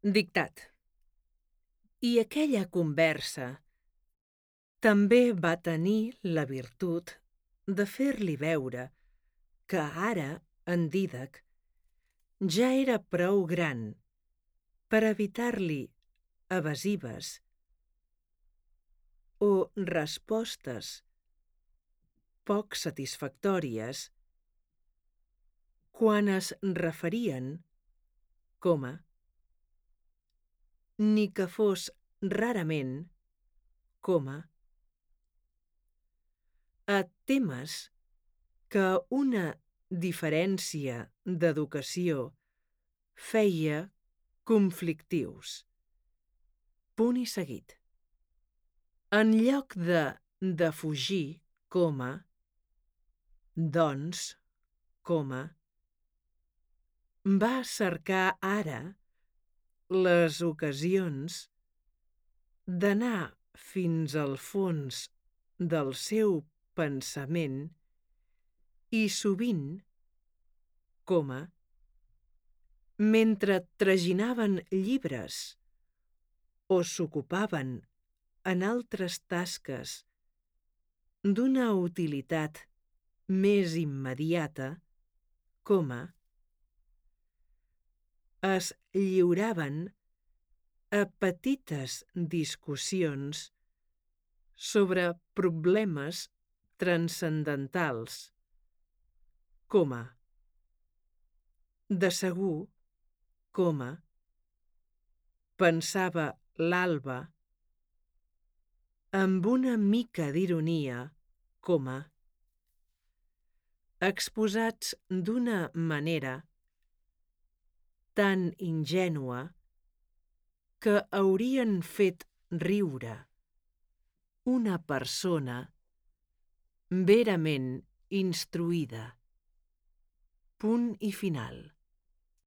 Dictat. I aquella conversa també va tenir la virtut de fer-li veure que ara en Dídac ja era prou gran per evitar-li evasives o respostes poc satisfactòries quan es referien, ni que fos rarament, a temes que una diferència d'educació feia conflictius. Punt i seguit. En lloc de defugir, doncs, va cercar ara les ocasions d'anar fins al fons del seu pensament i sovint, mentre traginaven llibres o s'ocupaven en altres tasques d'una utilitat més immediata, es lliuraven a petites discussions sobre problemes transcendentals, de segur, pensava l'Alba amb una mica d'ironia, exposats d'una manera tan ingènua que haurien fet riure una persona verament instruïda. Punt i final.